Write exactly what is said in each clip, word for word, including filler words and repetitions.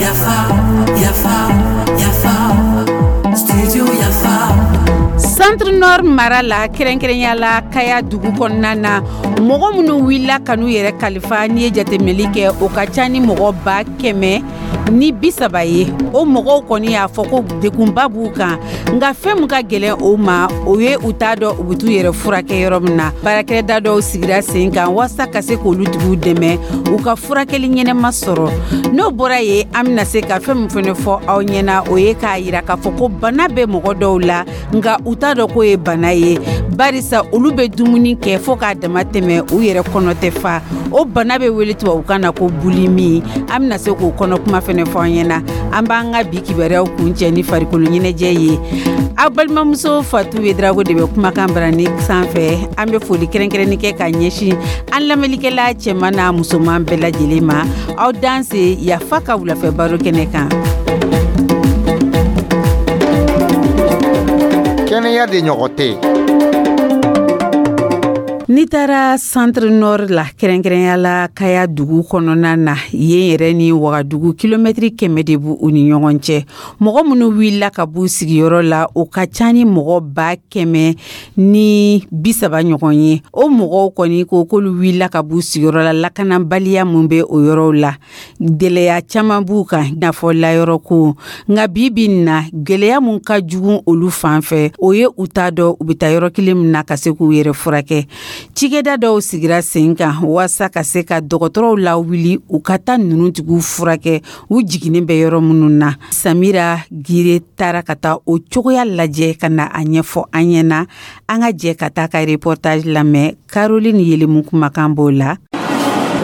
Yafa, yafa, yafa, studio Yafa. Centre Nord mara la, kɛrɛnkɛrɛnya la Kaya dugu kɔnɔna na, mɔgɔ minnu wulila ka n'u yɛrɛ kalifa, n'i ye jateminɛli kɛ, o ka ca ni mɔgɔ ba kɛmɛ ni bi saba ye. O mɔgɔw kɔni y'a fɔ ko degunba b'u kan, nka fɛn min ka gɛlɛn o ma, o ye u t'a dɔn u bɛ t'u yɛrɛ furakɛ yɔrɔ min na. Baarakɛda dɔw sigira sen kan walasa ka se k'olu tigiw dɛmɛ u ka furakɛli ɲɛnɛma sɔrɔ. N'o bɔra yen, an bɛna se ka fɛn min fɛnɛ fɔ aw ɲɛna, o ye k'a yira k'a fɔ ko bana bɛ mɔgɔ dɔw la, nka u t'a dɔn k'o ye bana ye, barisa olu bɛ dumuni kɛ fɔɔ k'a dama tɛmɛ, u yɛrɛ kɔnɔ tɛ fa. O bana bɛ wele tubabukan na ko boulimie. An bɛna se k'o kɔnɔ kuma fɛnɛ fɔ an ɲɛna. An b'an ka bi kibaruyaw kuncɛ ni farikolo ɲɛnajɛ ye. Aw balimamuso Fatu Wedrago de bɛ kumakan barani sanfɛ. An bɛ foli kɛrɛnkɛrɛnni kɛ ka ɲɛsin an lamɛnlikɛla cɛman n'a musoman bɛɛ lajɛlen ma. Aw danse Yafa ka wulafɛ baro kɛnɛ kan. Kɛnɛya de ɲɔgɔn tɛ. N'i taara Centre Nord la, kɛrɛnkɛrɛnya la Kaya dugu kɔnɔna na, yen yɛrɛ ni Wagadugu, kilomɛtiri kɛmɛ de b'u ni ɲɔgɔn cɛ. Mɔgɔ minnu wulila ka b'u sigiyɔrɔ la, o ka ca ni mɔgɔ ba kɛmɛ ni bi saba ɲɔgɔn ye. O mɔgɔw kɔni ko k'olu wulila ka b'u sigiyɔrɔ la, lakanabaliya mun bɛ o yɔrɔw la, gɛlɛya caman b'u kan, i n'a fɔ layɔrɔ ko. Nka bi bi in na, gɛlɛya mun ka jugu olu fan fɛ, o ye u t'a dɔn u bɛ taa yɔrɔ kelen min na ka se k'u yɛrɛ furakɛ. Cikɛda dɔw sigira sen kan walasa ka se ka dɔgɔtɔrɔw lawuli u ka taa ninnu tigiw furakɛ u jiginnen bɛ yɔrɔ minnu na. Samira Gire taara ka taa o cogoya lajɛ ka na a ɲɛfɔ an ɲɛna. An ka jɛ ka taa ka reportage lamɛn. Caroline Yelemu kumakan b'o la.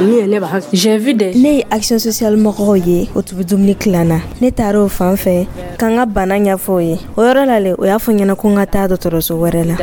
Ne ye Action sociale mɔgɔw ye, o tun bɛ dumuni tilan na. Ne taara o fan fɛ ka n ka bana ɲɛfɔ o ye. O yɔrɔ la le, o y'a fɔ ɲɛna ko n ka taa dɔgɔtɔrɔso wɛrɛ la.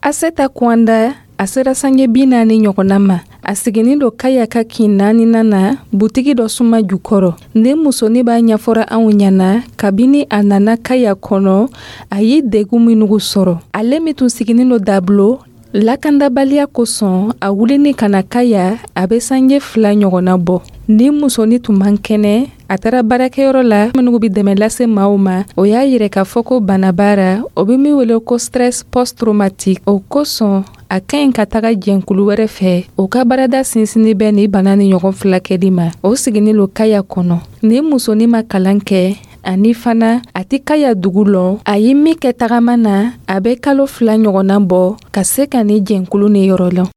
Aseta Kwanda, a sera sange bi naani ɲɔgɔnna ma. A siginin do Kaya ka kin naaninan na, butigi dɔ suma jukɔrɔ. Nin musonin b'a ɲɛfɔra anw ɲɛna, kabini a nana Kaya kɔnɔ, a ye degun minnu sɔrɔ. Ale min tun siginin do Dablo, lakandabaliya kosɔn, a wulini ka na Kaya, a bɛ sange fila ɲɔgɔnna bɔ. Nin musonin tun man kɛnɛ. A taara baarakɛyɔrɔ la minnu bɛ dɛmɛ lase maaw ma. O y'a yira k'a fɔ ko banabara o bɛ min wele ko stress post traumatique, o kosɔn a ka ɲi ka taga jɛnkulu wɛrɛ fɛ, o ka baarada sinsinni bɛ nin bana ni ɲɔgɔn fulakɛli ma. O siginin lo Kaya kɔnɔ. Nin musonin ma kalan kɛ, ani fana a tɛ Kaya dugu lɔn. A ye min kɛ tagama na, a bɛ kalo fila ɲɔgɔnna bɔ ka se ka nin jɛnkulu ni yɔrɔ lɔn.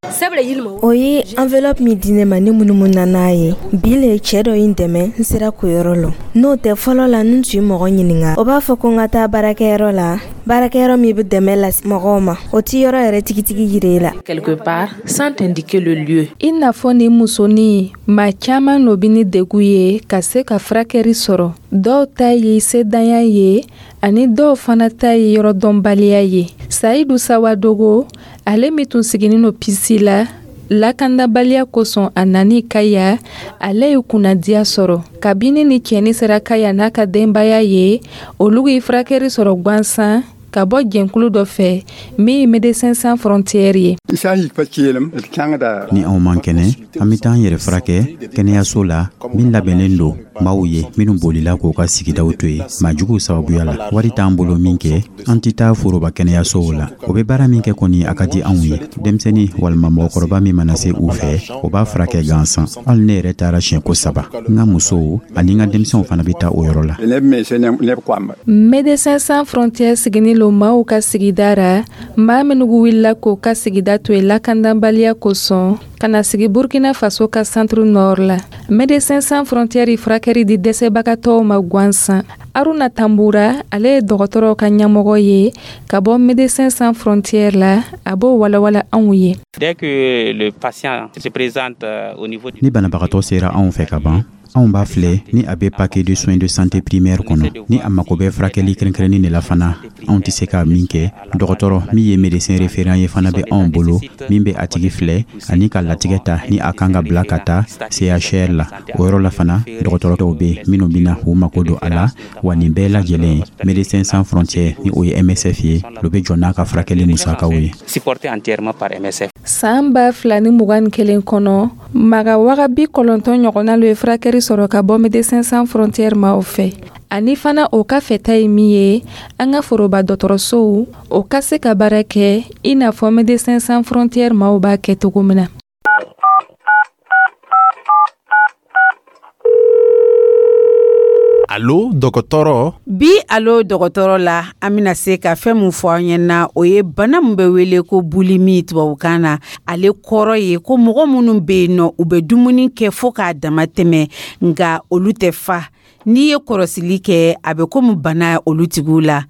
O ye enveloppe min di ne ma, ne munumunu n'a ye. Bi le, cɛɛ dɔ ye n dɛmɛ, n sera k'o yɔrɔ lɔn. N'o tɛ, fɔlɔ la, n tun ye mɔgɔ ɲininga, o b'a fɔ ko n ka taa baarakɛyɔrɔ la, baarakɛyɔrɔ min bɛ dɛmɛ lase mɔgɔw ma, o ti yɔrɔ yɛrɛ tigitigi yira e la. Quelque part sans t'indiquer le lieu. I n'a fɔ nin musonin, maa caman no bi ni degu ye ka se ka furakɛli sɔrɔ. Dɔw ta ye sedanya ye, ani dɔw fana ta ye yɔrɔ dɔnbaliya ye. Sayidu Sawadogo, ale min tun siginin no Pisi la, lakandabaliya kosɔn a nani Kaya, ale ye kunnadiya sɔrɔ kabini ni cɛni sera Kaya n'a ka denbaya ye. Olu ye furakɛli sɔrɔ gansan ka bɔ jɛnkulu dɔ fɛ min ye Médecins Sans Frontières ye. Ni anw man kɛnɛ, an bɛ taa an yɛrɛ furakɛ kɛnɛyaso la min labɛnnen don maaw ye minnu bolila k'u ka sigidaw to yen maajuguw sababuya la. Wari t'an bolo min kɛ, an tɛ taa foroba kɛnɛyasow la. O bɛ baara min kɛ kɔni, a ka di anw ye. Denmisɛnnin walima mɔgɔkɔrɔba min mana se u fɛ, o b'a furakɛ gansan. Hali ne yɛrɛ taara siɲɛko saba. N ka musow ani n ka denmisɛnw fana bɛ taa o yɔrɔ la. Médecins Sans Frontières siginin lo maaw ka sigida ra, maa minnu wulila k'o ka sigida to yen lakanabaliya kosɔn ka na sigi Burkina Faso ka Centre Nord la. Médecins Sans Frontières ye furakɛli di dɛsɛbagatɔw ma gansan. Aruna Tambura, ale ye dɔgɔtɔrɔw ka ɲɛmɔgɔ ye ka bɔ Médecins Sans Frontières la. A b'o walawala anw ye. Ni banabagatɔ sera anw fɛ ka ban, Anw b'a filɛ ni a bɛ paquet de soins de santé primaire kɔnɔ. Ni a mako bɛ furakɛli kɛrɛnkɛrɛnnen de la fana, anw tɛ se ka min kɛ, dɔgɔtɔrɔ min ye médecin référent ye fana bɛ anw bolo, min bɛ a tigi filɛ ani ka latigɛ ta ni a kan ka bila ka taa C H R la. O yɔrɔ la fana, dɔgɔtɔrɔ dɔw bɛ minnu bɛna u mako don a la. Wa nin bɛɛ lajɛlen, Médecins Sans Frontières, ni o ye M S F ye, o bɛ jɔ n'a ka furakɛli musakaw ye. San ba fila ni mugan ni kelen kɔnɔ, maga waga bi kɔnɔntɔn ɲɔgɔnna lo ye furakɛli sɔrɔ ka bɔ Médecins Sans Frontières maaw fɛ. Ani fana, o ka fɛta ye min ye, an ka foroba dɔgɔtɔrɔsow o ka se ka baara kɛ i n'a fɔ Médecins Sans Frontières maaw b'a kɛ cogo min na. Alo dɔgɔtɔrɔ. Bi Alo dɔgɔtɔrɔ la, an bɛna se ka fɛn min fɔ an ɲɛna, o ye bana min bɛ wele ko boulimie tubabukan na. Ale kɔrɔ ye ko mɔgɔ minnu bɛ yen nɔ, u bɛ dumuni kɛ fo k'a dama tɛmɛ, nka olu tɛ fa. N'i ye kɔrɔsili kɛ, a bɛ komi bana olu tigiw la.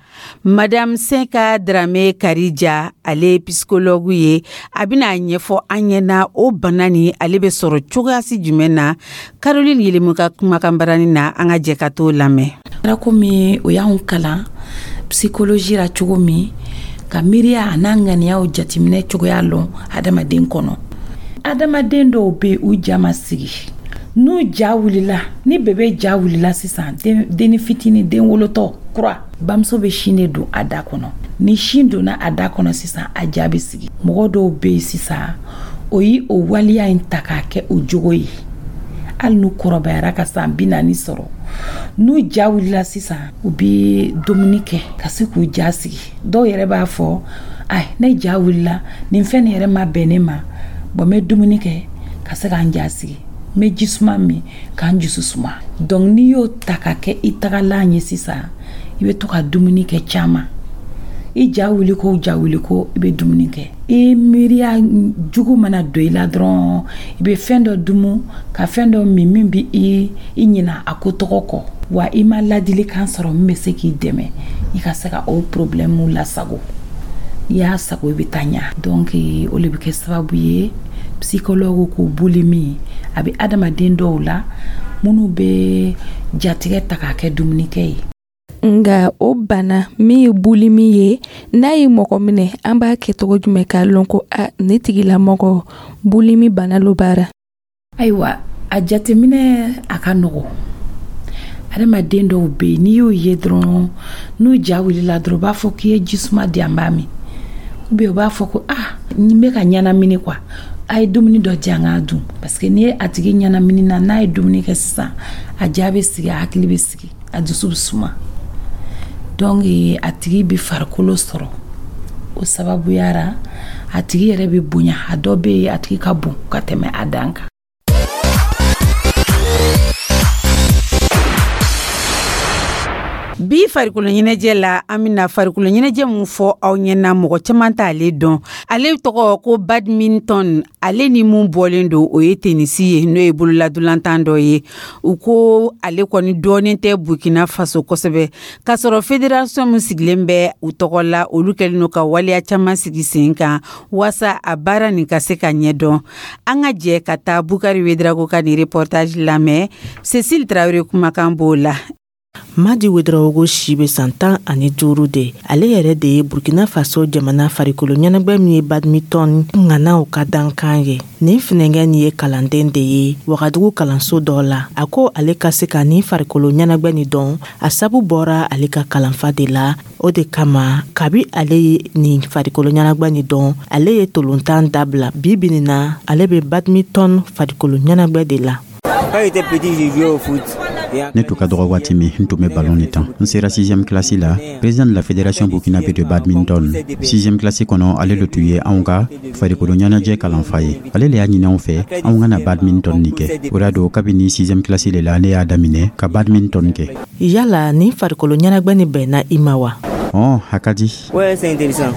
Madame Senka Darame Karija, ale ye psychologue ye, a bɛna a ɲɛfɔ an ɲɛna o bana ni ale bɛ sɔrɔ cogoyasi jumɛn na. Caroline Yelemu ka kumakan barani na, an ka jɛ ka t'o lamɛn. Kɛra komi o y'anw kalan psychologie la cogo min, ka miiriya a n'a ŋaniyaw jateminɛ cogoya lɔn adamaden kɔnɔ. Adamaden dɔw bɛ yen, u ja ma sigi. N'u ja wulila, ni bébé ja wulila sisan, denni fitini, den wolotɔ kura, bamuso bɛ sin de don a da kɔnɔ. Ni sin donna a da kɔnɔ sisan, a ja bɛ sigi. Mɔgɔ dɔw bɛ yen sisan, o ye o waleya in ta k'a kɛ o jogo ye. Hali n'u kɔrɔbayara ka san bi naani sɔrɔ, n'u ja wulila sisan, u bɛ dumuni kɛ ka se k'u ja sigi. Dɔw yɛrɛ b'a fɔ: ayi, ne ja wulila, nin fɛn nin yɛrɛ ma bɛn ne ma, bɔn n bɛ dumuni kɛ ka se k'an ja sigi, n bɛ ji suma min k'an dusu suma. Donc n'i y'o ta ka kɛ i tagalan ye sisan, i bɛ to ka dumuni kɛ caman. I ja wuli ko ja wuli ko, i bɛ dumuni kɛ. I miiriya jugu mana don i la dɔrɔn, i bɛ fɛn dɔ dumu ka fɛn dɔ min min bɛ i i ɲina a ko tɔgɔ kɔ. Wa i ma ladilikan sɔrɔ min bɛ se k'i dɛmɛ i ka se ka o problème lasago. N'i y'a sago, i bɛ taa ɲa. Donc o de bɛ kɛ sababu ye, psychologue ko boulimie a bɛ adamaden dɔw la minnu bɛ jatigɛ ta k'a kɛ dumunikɛ ye. Nga o bana min ye boulimie ye, n'a ye mɔgɔ minɛ, an b'a kɛ cogo jumɛn k'a lɔn ko a ne tigilamɔgɔ boulimie bana lo baara? Ayiwa, a jateminɛ a ka nɔgɔ. Adamaden dɔw bɛ yen, n'i y'o ye dɔrɔn, n'u ja wulila dɔrɔn, u b'a fɔ k'i ye ji suma di yan, b'a min, ou bien u b'a fɔ ko ah, n bɛ ka ɲɛnamini quoi, a ye dumuni dɔ di an k'a dun. Parce que n'i ye a tigi ɲɛnamini na, n'a ye dumuni kɛ sisan, a ja bɛ sigi, a hakili bɛ sigi, a dusu bɛ suma. Donc a tigi bɛ farikolo sɔrɔ. O sababuya ra, a tigi yɛrɛ bɛ bonya. A dɔ bɛ yen, a tigi ka bon ka tɛmɛ a dan kan. Bi farikolo ɲɛnajɛ la, an bɛna farikolo ɲɛnajɛ mun fɔ aw ɲɛna, mɔgɔ caman t'ale dɔn. Ale tɔgɔ ko badminton. Ale ni mun bɔlen don, o ye tenisi ye, n'o ye bololadolantan dɔ ye. U ko ale kɔni dɔɔnin tɛ Burkina Faso kosɛbɛ, k'a sɔrɔ fédération min sigilen bɛ u tɔgɔ la, olu kɛlen don ka waleya caman sigi sen kan waasa a baara nin ka se ka ɲɛdɔn. An ka jɛ ka taa Bukari Wedrago ka nin reportage lamɛn. Cécile Traoré kumakan b'o la. Madi Wedraogo si bɛ san tan ani duuru de. Ale yɛrɛ de ye Burkina Faso jamana farikolo ɲɛnajɛ min ye badminton ŋanaw ka dankan ye. Nin finɛkɛ nin ye kalanden de ye Wagadugu kalanso dɔ la. A ko ale ka se ka nin farikolo ɲɛnajɛ nin dɔn, a sabu bɔra ale ka kalanfa de la. O de kama, kabi ale ye nin farikolo ɲɛnajɛ nin dɔn, ale ye tolontan dabila. Bi bi nin na, ale bɛ badminton farikolo ɲɛnajɛ de la. Quand j'étais petit, j'ai joué au foot. Ne tun ka dɔgɔ waati min, n tun bɛ ballon de tan. N sera sixième classe la, président de la fédération burkinabé de badminton, sixième classe kɔnɔ, ale le tun ye anw ka farikolo ɲɛnajɛ kalanfa ye. Ale le y'a ɲini anw fɛ anw ka na badminton nin kɛ. O y'a don, kabini sixième classe le la, ne y'a daminɛ ka badminton kɛ. Yala nin farikolo ɲɛnajɛ nin bɛnna i ma wa? Ɔn, a ka di. Ouais, c'est intéressant.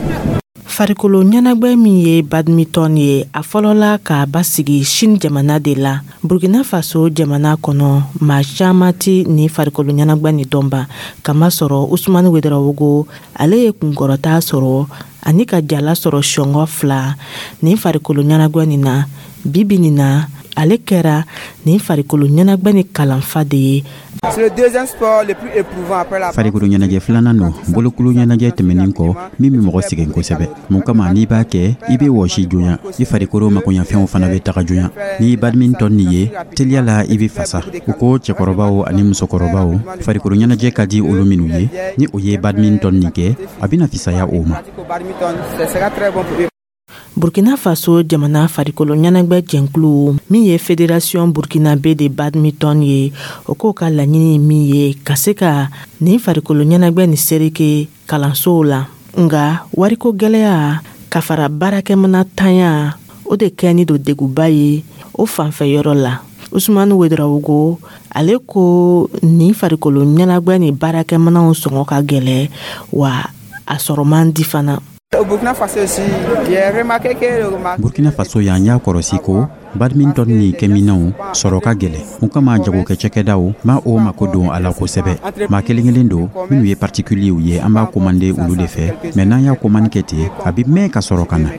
Farikolo ɲɛnajɛ min ye badminton ye, a fɔlɔla k'a basigi Chine jamana de la. Burkina Faso jamana kɔnɔ, maa caman ti nin farikolo ɲɛnajɛ nin dɔnba, kamasɔrɔ Usumani Wedrawogo, ale ye kunkɔrɔta sɔrɔ ani ka jala sɔrɔ sɔngɔ fila nin farikolo ɲɛnajɛ nin na. Bi bi nin na, Ale kɛra nin farikolo ɲɛnajɛ ni kalanfa de ye. Farikolo ɲɛnajɛ filanan don bolokulu ɲɛnajɛ tɛmɛnin kɔ min bɛ mɔgɔ sɛgɛn kosɛbɛ. Mun kama n'i b'a kɛ, i bɛ wɔsi joona, i farikolo makoɲɛfɛnw fana bɛ taga joona. N'i badminton nin ye, teliya la i bɛ fasa. U ko cɛkɔrɔbaw ani musokɔrɔbaw, farikolo ɲɛnajɛ ka di olu minnu ye, ni o ye badminton nin kɛ, a bɛna fisaya o ma. Burkina Faso jamana farikolo ɲɛnajɛ jɛnkulu min ye Fédération burkinabé de badminton ye, o k'o ka laɲini min ye ka se ka nin farikolo ɲɛnajɛ nin sereke kalansow la, nga wariko gwɛlɛya ka fara baarakɛmana tanya, o de kɛni don deguba ye o fanfɛ yɔrɔ la. Usumani Wedarawogo, ale ko nin farikolo ɲɛnajɛ ni baarakɛmanaw sɔngɔ ka gwɛlɛ, wa a sɔrɔ man di fana. Burkina Faso yan, y'a kɔrɔsi ko badminton ni kɛminɛw sɔrɔ ka gɛlɛ. Mun kama jagokɛ cakɛdaw ma o mako don a la kosɛbɛ. Maa kelen kelen don minnu ye particulierw ye, an b'a commander olu de fɛ. Mɛ n'an y'a commande kɛ ten, a bɛ mɛn ka sɔrɔ ka na.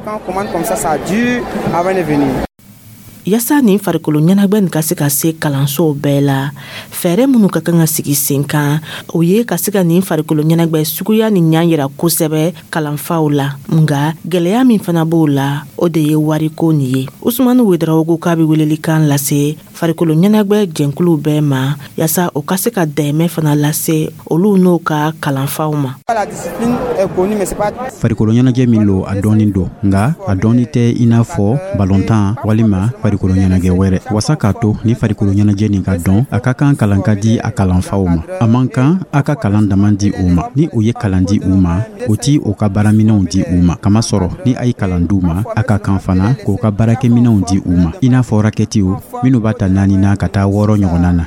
Yaasa nin farikolo ɲɛnajɛ nin ka se ka se kalansow bɛɛ la, fɛɛrɛ minnu ka kan ka sigi sen kan, o ye ka se ka nin farikolo ɲɛnajɛ suguya ni ɲan yira kosɛbɛ kalanfaw la. Nga gwɛlɛya min fana b'o la, o de ye wariko nin ye. Usumani Wedarawogo k'a be welelikan lase farikolo ɲɛnajɛ jɛnkuluw bɛɛ ma, yaasa o ka se ka dɛmɛ fana lase olu n'o ka kalanfaw ma. Farikolo ɲɛnajɛ min lo, a dɔɔni don, nga a dɔɔni tɛ i n'a fɔ balontan walima farikolo ɲɛnajɛ wɛrɛ. Wasa k'a to ni farikolo ɲɛnajɛ nin ka dɔn, a ka kan kalan ka di a kalanfaw ma. A man kan a ka kalan dama di u ma. Ni o ye kalan di u ma, o ti o ka baaraminɛnw di u ma. Kamasɔrɔ ni a ye kalan d'u ma, a ka kan fana k'o ka baarakɛminɛnw di u ma, i n'a fɔ rakɛtiw minnu b'a ta naani na ka taa wɔɔrɔ ɲɔgɔnna na.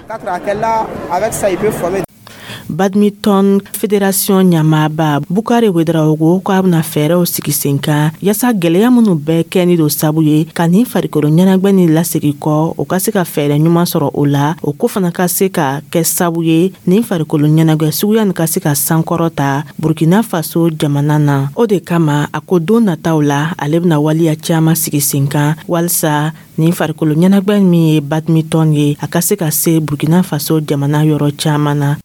Badminton fédération ɲɛmaaba Bukari Wedarawogo ko a bena fɛɛrɛw sigi sen kan yaasa gwɛlɛya minnu bɛɛ kɛni don sabu ye ka nin farikolo ɲɛnajɛ ni lasegi kɔ, o ka se ka fɛɛrɛ ɲuman sɔrɔ o la, o ko fana ka se ka kɛ sabu ye nin farikolo ɲɛnajɛ suguya nin ka se ka sankɔrɔ ta Burkina Faso jamana na. O de kama a ko don nataw la, ale bena waleya caaman sigi sen kan walisa nin farikolo ɲɛnajɛ min ye badminton ye, a ka se ka se Burkina Faso jamana yɔrɔ caaman na.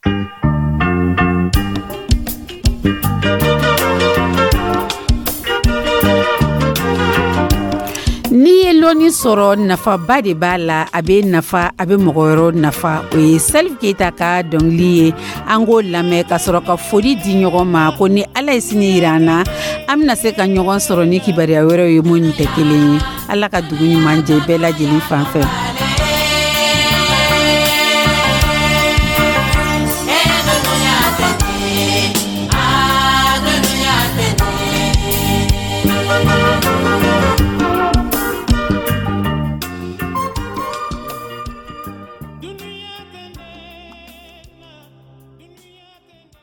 N'i ye lɔnni sɔrɔ, nafaba de b'a la. A bɛ nafa, a bɛ mɔgɔ wɛrɛw nafa. O ye Salif Keyita ka dɔnkili ye. An k'o lamɛn ka sɔrɔ ka foli di ɲɔgɔn ma ko ni Ala ye sini yira an na, an bɛna se ka ɲɔgɔn sɔrɔ ni kibaruya wɛrɛw ye minnu tɛ kelen ye. Ala ka dugu ɲuman jɛ bɛɛ lajɛlen fan fɛ.